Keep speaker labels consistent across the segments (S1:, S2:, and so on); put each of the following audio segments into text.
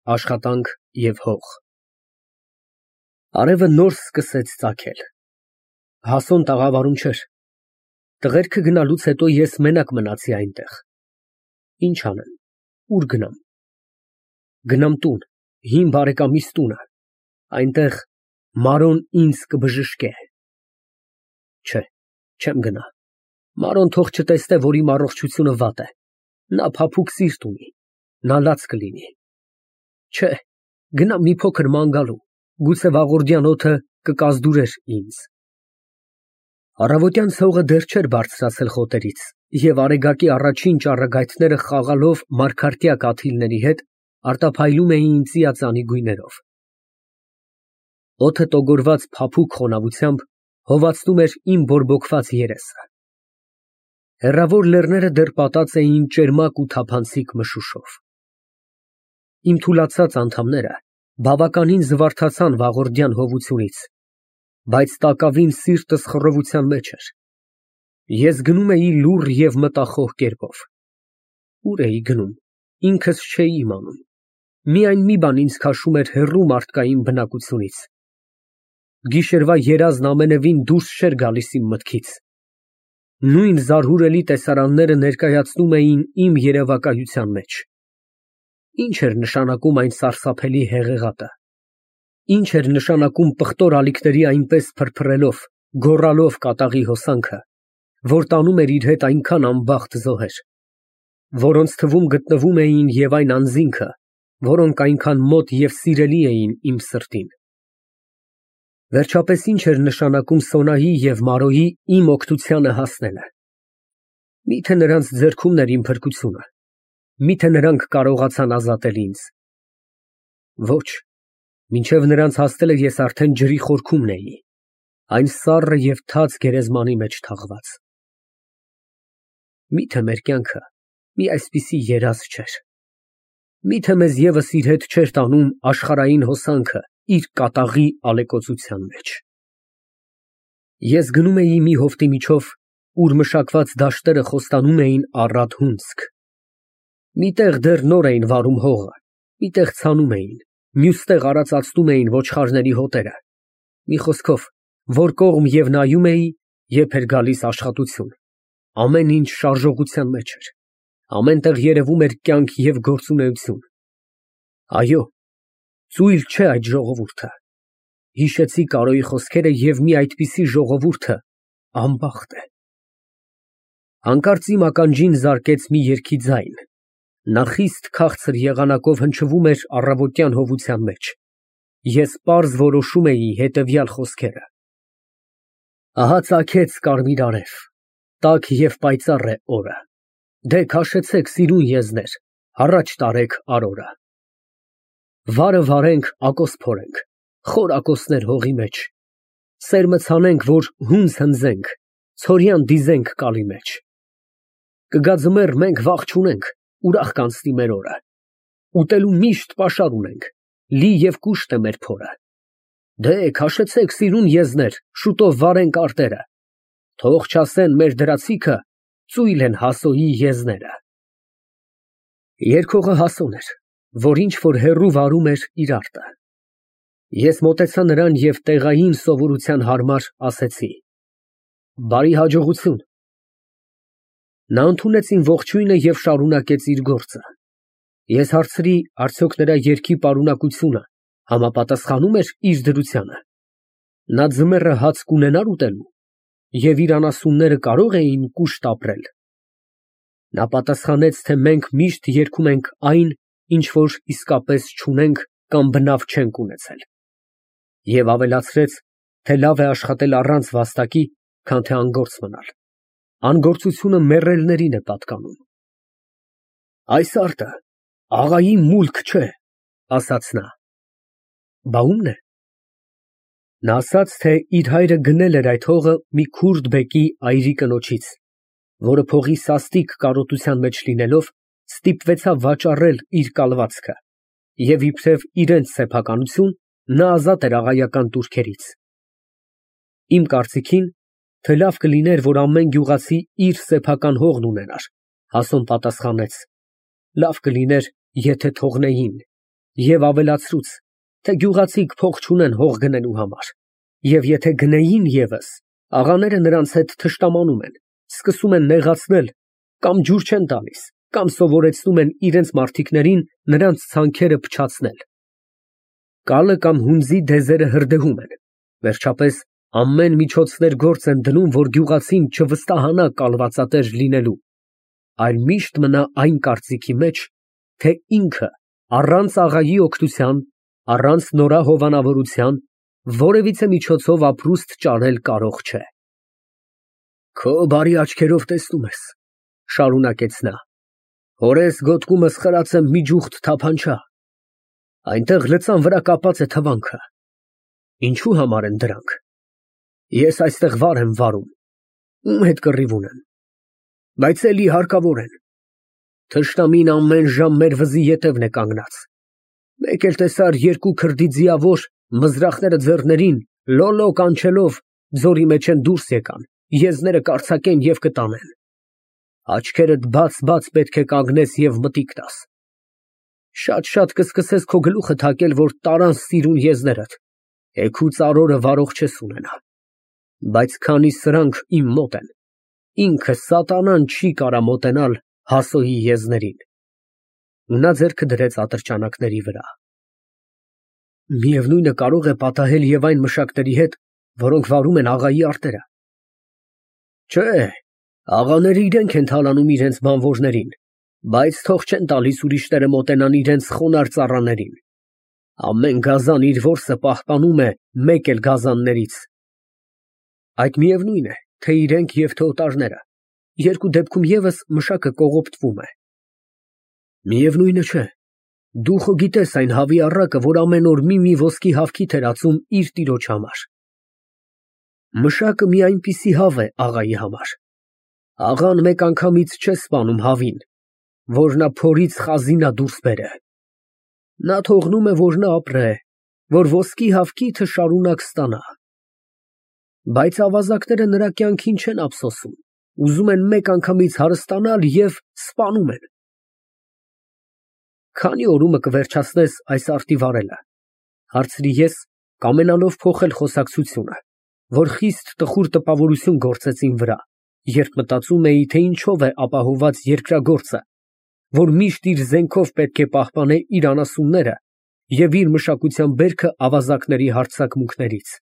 S1: Աշխատանք և հող։ Արևը նոր սկսեց ծագել։ Հասոն տաղավարում չէր։ Տղերքը գնալուց հետո ես մենակ մնացի այնտեղ։ Ինչ անեմ, ուր գնամ։ Գնամ տուն, հին բարեկամիս տունը, այնտեղ Մարոն ինձ կբժշկե։ Չէ, չեմ գնա։ Մարոն թող չտեսնե, որ իմ առողջությունը վատ է։ Նա փափուկ սիրտ ունի, նա լաց կլինի։ Չէ, գնամ մի փոքր ման գալու, գուցե վաղորդյան օդը կկազդուրեր ինձ։ Առավոտյան ցողը դեռ չէր բարձրացել խոտերից, և արեգակի առաջին ճառագայթները խաղալով մարգարտյա կաթիլների հետ արտափայլում էին ծիածանի գույներով։ Օդը տոգորված փափուկ խոնավությամբ հովացնում էր իմ բորբոքված երեսը։ Հեռավոր լեռները դեռ պատած էին ճերմակ ու թափանցիկ մշուշով։ Իմ թուլացած անդամները բավականին զվարթացան վաղորդյան հովությունից, բայց տակավին սիրտս խռովության մեջ էր։ Ես գնում էի լուռ և մտախոհ կերպով։ Ուր էի գնում, ինքս չէի իմանում։ Միայն մի բան ինձ քաշում էր հեռու մարդկային բնակությունից։ Գիշերվա երազն ամենևին դուրս չէր գալիս իմ մտքից։ Նույն զարհուրելի տեսարանները ներկայացնում էին իմ երևակայության մեջ։ Ինչ էր նշանակում այն սարսափելի հեղեղատը։ Ինչ էր նշանակում պղտոր ալիքների այնպես փրփրելով, գոռալով կատաղի հոսանքը, որ տանում էր իր հետ այնքան անբախտ զոհեր, որոնց թվում գտնվում էին և այն անձինքը, որոնք այնքան մոտ և սիրելի էին իմ սրտին։ Վերջապես ինչ էր նշանակում Սոնայի և Մարոյի իմ օգնությանը հասնելը։ Միթե նրանց ձեռքումն էր իմ փրկությունը, միթե նրանք կարողացան ազատել ինձ։ Ոչ, մինչև նրանց հասնելը ես արդեն ջրի խորքումն էի, այն սառը և թաց գերեզմանի մեջ թաղված։ Միթե մեր կյանքը մի այսպիսի երազ չէր։ Միթե մեզ ևս իր հետ չէր տանում աշխարհային հոսանքը իր կատաղի ալեկոծության մեջ։ Ես գնում էի մի հովտի միջով, ուր մշակված դաշտերը խոստանում էին առատ հունձք։ Մի տեղ դեռ նոր էին վարում հողը, մի տեղ ցանում էին, մյուս տեղ արածացնում էին ոչխարների հոտերը։ Մի խոսքով, որ կողմ և նայում էի, երբ էր գալիս աշխատություն, ամեն ինչ շարժողության մեջ էր, ամեն տեղ երևում էր կյանք և գործունեություն։ Այո, ծույլ չէ այդ ժողովուրդը։ Հիշեցի Կարոյի խոսքերը և մի այդպիսի ժողովուրդը անբախտ է։ Հանկարծ իմ ականջին զարկեց մի երգի ձայն, նա խիստ քաղցր եղանակով հնչվում էր առավոտյան հովության մեջ։ Ես պարզ որոշում էի հետևյալ խոսքերը. Ահա ծագեց կարմիր արև, տաք և պայծառ է օրը, դե քաշեցեք սիրուն եզներ, առաջ տարեք արորը։ Վարը վարենք, ակոս փորենք, խոր ակոսներ հողի մեջ, սերմը ցանենք, որ հունձ հնձենք, ցորյան դիզենք կալի մեջ։ Կգա ձմեռ, մենք վախ չունենք, ուրախ կանցնի մեր օրը, ուտելու միշտ պաշար ունենք, լի և կուշտ է մեր փորը։ Դե քաշեցեք սիրուն եզներ, շուտով վարենք արտերը, թող չասեն մեր դրացիքը, ծույլ են Հասոյի եզները։ Երգողը Հասոն էր, որ ինչ֊որ հեռու վարում էր իր արտը։ Ես մոտեցա նրան և տեղային սովորության համար ասեցի. Բարի հաջողություն։ Նա ընդունեց իմ ողջույնը և շարունակեց իր գործը։ Ես հարցրի, արդյոք նրա երգի պարունակությունը համապատասխանում էր իր դրությանը։ Նա ձմեռը հաց կունենա՞ր ուտելու և իր անասունները կարո՞ղ էին կուշտ ապրել։ Նա պատասխանեց, թե մենք միշտ երգում ենք այն, ինչ որ իսկապես չունենք կամ բնավ չենք ունեցել, և ավելացրեց, թե լավ է աշխատել առանց վաստակի, քան թե անգործ մնալ։ Անգործությունը մեռելներին է պատկանում։ Այս արտը աղայի մուլք չէ, ասաց նա։ Բա ո՞ւմն է։ Նա ասաց, թե իր հայրը գնել էր այդ հողը մի քուրդ բեկի այրի կնոջից, որը փողի սաստիկ կարոտության մեջ լինելով, ստիպվեցավ վաճառել իր կալվածքը, և իբրև իրենց սեփականություն, նա ազատ էր աղայական տուրքերից։ Իմ կարծիքին, թե լավ կլիներ, որ ամեն գյուղացի իր սեփական հողն ունենար, Հասոն պատասխանեց. լավ կլիներ, եթե թողնեին, Եվ ավելացրուց, թե գյուղացիք փող չունեն հող գնելու համար, և եթե գնեին ևս, աղաները նրանց հետ թշնամանում են, սկսում են նեղացնել, կամ ջուր չեն տալիս, կամ սովորեցնում են իրենց մարդիկներին նրանց ցանքերը փչացնել։ Կալը կամ հունձի դեզերը հրդեհում են, վերջապես ամեն միջոցներ գործ են դնում, որ գյուղացին չվստահանա կալվածատեր լինելու, այլ միշտ մնա այն կարծիքի մեջ, թե ինքը առանց աղայի օգնության, առանց նորա հովանավորության որևիցե միջոցով ապրուստ ճարել կարող չէ։ Քո բարի աչքերով տեսնում ես, շարունակեց նա, հորես գոտկումս խրած եմ մի ջուխտ թափանչա, այնտեղ լծան վրա կապած է թվանքը, ինչու համար են դրանք, ես այստեղ վար եմ վարում, ում հետ կռիվ ունեմ, բայց էլի հարկավոր են, թշնամին ամեն ժամ մեր վզի ետևն է կանգնած, մեկ էլ տեսար երկու քրդի ձիավոր մզրախները ձեռներին, լոլո կանչելով ձորի մեջ են դուրս եկան, եզները կարձակեն և կտանեն, աչքերդ բաց պետք է կանգնես և մտիկ տաս, շատ կսկսես քո գլուխը թակել, որ տարան սիրուն եզներդ, էգու ծարորը վարող չես ունենա, բայց քանի սրանք իմ մոտ են, ինքը սատանան չի կարա մոտենալ Հասոյի եզներին։ Նա ձեռքը դրեց ատրճանակների վրա։ Միևնույնը կարող է պատահել և այն մշակների հետ, որոնք վարում են աղայի արտերը։ Չէ, աղաները իրենք են թալանում իրենց բանվորներին, բայց թող չեն տալիս ուրիշները մոտենան իրենց խոնարհ ծառաներին։ Ամեն գազան իր որսը պահպանում է մեկ էլ գազաններից։ Այդ միևնույն է, թե իրենք և թե օտարները, երկու դեպքում ևս մշակը կողոպտվում է։ Միևնույնը չէ, դու խո գիտես այն հավի առակը, որ ամեն օր մի ոսկի հավքիթ էր ածում իր տիրոջ համար։ Մշակը մի այնպիսի հավ է աղայի համար։ Աղան մեկ անգամից չէ սպանում հավին, որ նա փորից խազինա դուրս բերե։ Նա թողնում է, որ նա ապրե, որ ոսկի հավքիթը շարունակ ստանա։ Բայց ավազակները նրա կյանքին չեն ափսոսում, ուզում են մեկ անգամից հարստանալ և սպանում են։ Քանի օրումը կվերջացնես այս արտի վարելը, հարցրի ես, կամենալով փոխել խոսակցությունը, որ խիստ տխուր տպավորություն գործեց իմ վրա, երբ մտածում էի, թե ինչով է ապահովված երկրագործը, որ միշտ իր զենքով պետք է պահպանե իր անասունները և իր մշակության բերքը ավազակների հարձակմունքներից։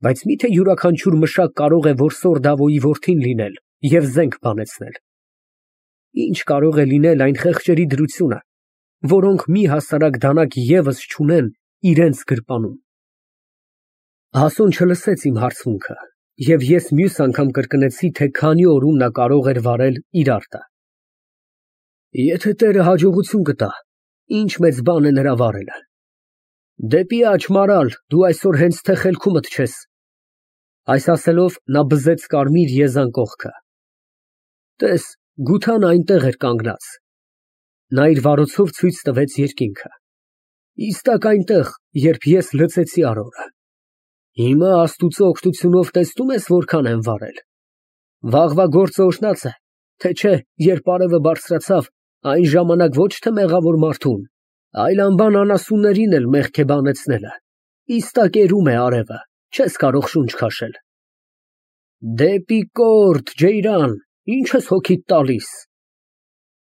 S1: Բայց միթե յուրաքանչյուր մշակ կարող է որսոր Դավոյի որդին լինել և զենք բանեցնել։ Ինչ կարող է լինել այն խեղճերի դրությունը, որոնք մի հասարակ դանակ ևս չունեն իրենց գրպանում։ Հասուն չլսեց իմ հարցմունքը, և ես մյուս անգամ կրկնեցի, թե քանի օրում նա կարող էր վարել իր արտը։ Եթե Տերը հաջողություն կտա, ինչ մեծ բան է նրա վարելը։ Դեպի աջ մարալ, դու այսօր հենց թե խելքումդ չես։ Այս ասելով նա բզեց կարմիր եզան կողքը։ Տես, գութան այնտեղ էր կանգնած։ Նա իր վարոցով ցույց տվեց երկինքը։ Իստակ այնտեղ, երբ ես լցեցի արորը։ Հիմա Աստուծո օգնությունով տեսնում ես որքան եմ վարել։ Վաղվա գործը օրհնած է, թե չէ, երբ արևը բարձրացավ, այն ժամանակ ոչ թե մեղավոր մարդուն, այլ անբան անասուններին էլ մեղք է բանեցնելը։ Իստակ էրում է արևը, չես կարող շունչ քաշել։ Դեպի կորտ, Ջեյրան, ինչ ես հոգիդ տալիս։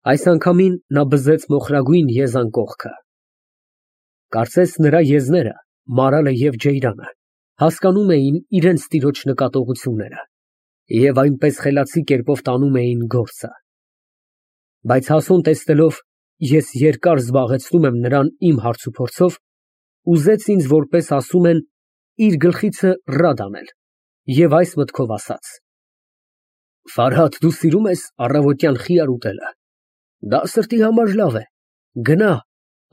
S1: Այս անգամին նա բզեց մոխրագույն եզան կողքը։ Կարծես նրա եզները, մարալը և Ջեյրանը, հասկանում էին իրենց տիրոջ նկատողությունները և այնպես խելացի կերպով տանում էին գործը։ Բայց հասուն տեսնելով, ես երկար զբաղեցնում եմ նրան իմ հարցուփորձով, ուզեց ինձ, որպես ասում են, իր գլխիցը ռադ անել և այս մտքով ասաց. Ֆարհադ, դու սիրում ես առավոտյան խիար ուտելը։ Դա սրտի համար լավ է։ Գնա,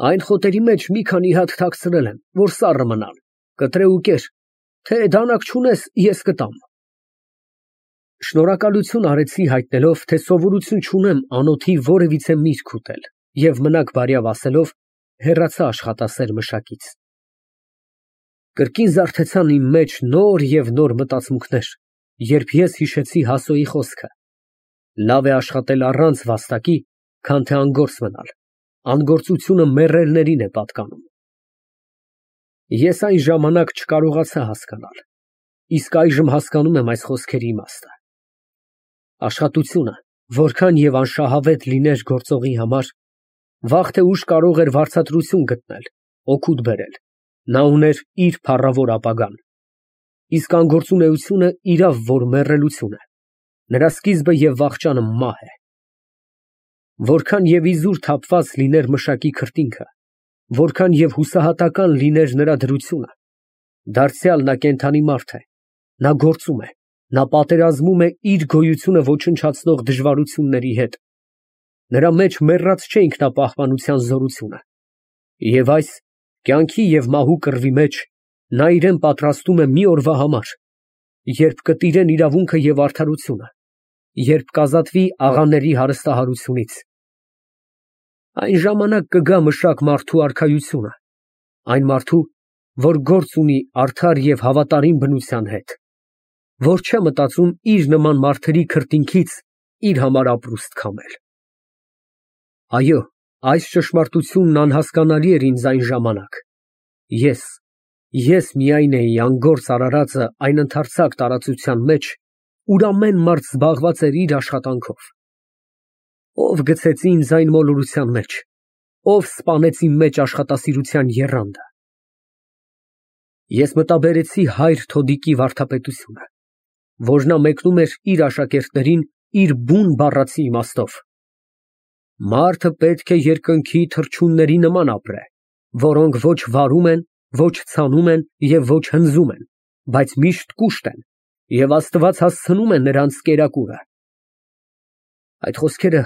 S1: այն խոտերի մեջ մի քանի հատ թաքցրել եմ, որ սառը մնան, կտրե ու կեր, թե դանակ չունես, ես կտամ։ Շնորհակալություն արեցի հայտնելով, թե սովորություն չունեմ անոթի որևիցե միրգ ուտել և մնաք բարյավ ասելով, հեռացա աշխատասեր մշակից։ Կրկին զարթեցան իմ մեջ նոր և նոր մտածմունքներ, երբ ես հիշեցի Հասոյի խոսքը. լավ է աշխատել առանց վաստակի, քան թե անգործ մնալ, անգործությունը մեռելներին է պատկանում։ Ես այն ժամանակ չկարողացա հասկանալ, իսկ այժմ հասկանում եմ այս խոսքերի իմաստը։ Աշխատությունը, որքան և անշահավետ լիներ գործողի համար, վաղ թե ուշ կարող էր վարձատրություն գտնել, օգուտ բերել, նա ուներ իր փառավոր ապագան, իսկ անգործունեությունը իրավ որ մեռելություն է, նրա սկիզբը և վախճանը մահ է։ Որքան և իզուր թափված լիներ մշակի քրտինքը, որքան և հուսահատական լիներ նրա դրությունը, դարձյալ նա կենդանի մարդ է, նա գործում է, նա պատերազմում է իր գոյությունը ոչնչացնող դժվարությունների հետ, նրա մեջ մեռած չէ ինքնապահպանության զորությունը, և այս կյանքի և մահու կռվի մեջ նա իրեն պատրաստում է մի օրվա համար, երբ կտիրեն իրավունքը և արդարությունը, երբ կազատվի աղաների հարստահարությունից։ Այն ժամանակ կգա մշակ մարդու արքայությունը, այն մարդու, որ գործ ունի արդար և հավատարիմ բնության հետ, որ չէ մտածում իր նման մարդերի քրտինքից իր համար ապրուստ քամել։ Այո, այս ճշմարտությունն անհասկանալի էր ինձ այն ժամանակ։ Ես միայն էի անգործ արարածը այն ընդարձակ տարածության մեջ, ուր ամեն մարդ զբաղված էր իր աշխատանքով։ Ով գցեց ինձ այն մոլորության մեջ, ով սպանեց իմ մեջ աշխատասիրության եռանդը։ Ես մտաբերեցի հայր Թոդիկի վարդապետությունը, որ նա մեկնում էր իր աշակերտներին իր բուն բառացի իմաստով. մարդը պետք է երկնքի թռչունների նման ապրե, որոնք ոչ վարում են, ոչ ցանում են և ոչ հնձում են, բայց միշտ կուշտ են, և Աստված հասցնում է նրանց կերակուրը։ Այդ խոսքերը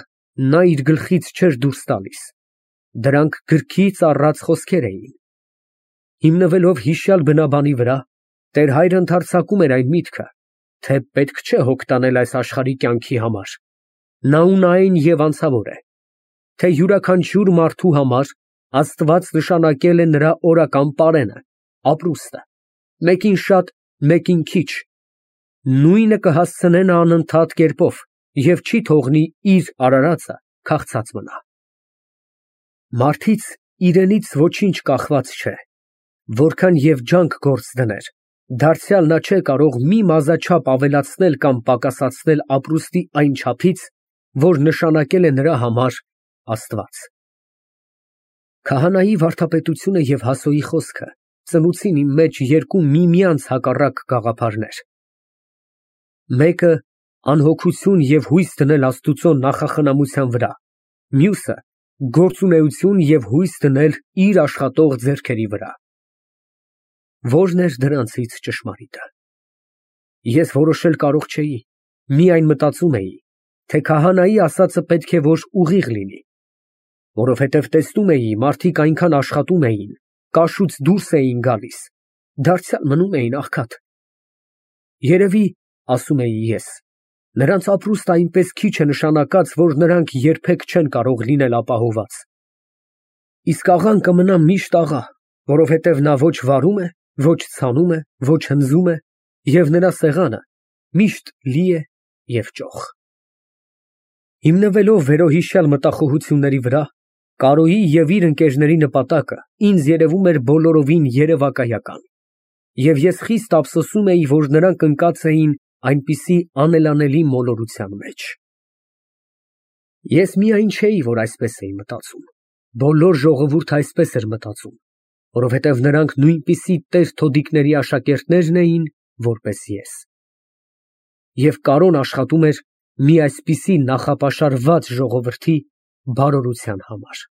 S1: նա իր գլխից չէր դուրս տալիս, դրանք գրքից առած խոսքեր էին։ Հիմնվելով հիշյալ բնաբանի վրա, Տեր Հայրը ընդարձակում էր այն միտքը, թե պետք չէ հոգ տանել այս աշխարհի կյանքի համար, նա ունայն և անցավոր է, թե յուրաքանչյուր մարդու համար Աստված նշանակել է նրա օրական պարենը, ապրուստը, մեկին շատ, մեկին քիչ, նույնը կհասցնե նա անընդհատ կերպով և չի թողնի իր արարածը քաղցած մնա։ Մարդից իրենից ոչինչ կախված չէ, որքան և ջանք գործ դներ, դարձյալ նա չէ կարող մի մազաչափ ավելացնել կամ պակասացնել ապրուստի այն չափից, որ նշանակել է նրա համար Աստված։ Քահանայի վարդապետությունը և Հասոյի խոսքը ծնուցին իմ մեջ երկու միմյանց հակառակ գաղափարներ. մեկը անհոգություն և հույս դնել Աստուծո նախախնամության վրա, մյուսը գործունեություն և հույս դնել իր աշխատող ձեռքերի վրա։ Ո՞րն էր դրանցից ճշմարիտը։ Ես որոշել կարող չէի, միայն մտածում էի, թե քահանայի ասածը պետք է որ ուղիղ լինի, որովհետև տեսնում էի, մարդիկ այնքան աշխատում էին, կաշուց դուրս էին գալիս, դարձյալ մնում էին աղքատ։ Երևի, ասում էի ես, նրանց ապրուստը այնպես քիչ է նշանակած, որ նրանք երբեք չեն կարող լինել ապահոված։ Իսկ աղան կմնա միշտ աղա, որովհետև նա ոչ վարում է, ոչ ցանում է, ոչ հնձում է, և նրա սեղանը միշտ լի է և ճոխ։ Հիմնվելով վերոհիշյալ մտախոհությունների վրա, Կարոյի և իր ընկերների նպատակը ինձ երևում էր բոլորովին երևակայական, և ես խիստ ափսոսում էի, որ նրանք ընկած էին այնպիսի անելանելի մոլորության մեջ։ Ես միայն չէի, որ այսպես էի մտածում, բոլոր ժողովուրդը այսպես էր մտածում, որովհետև նրանք նույնպիսի տեր Թոդիկների աշակերտներն էին, որպես ես։ Եվ Կարոն աշխատում էր մի այսպիսի նախապաշարված ժողովրդի բարօրության համար։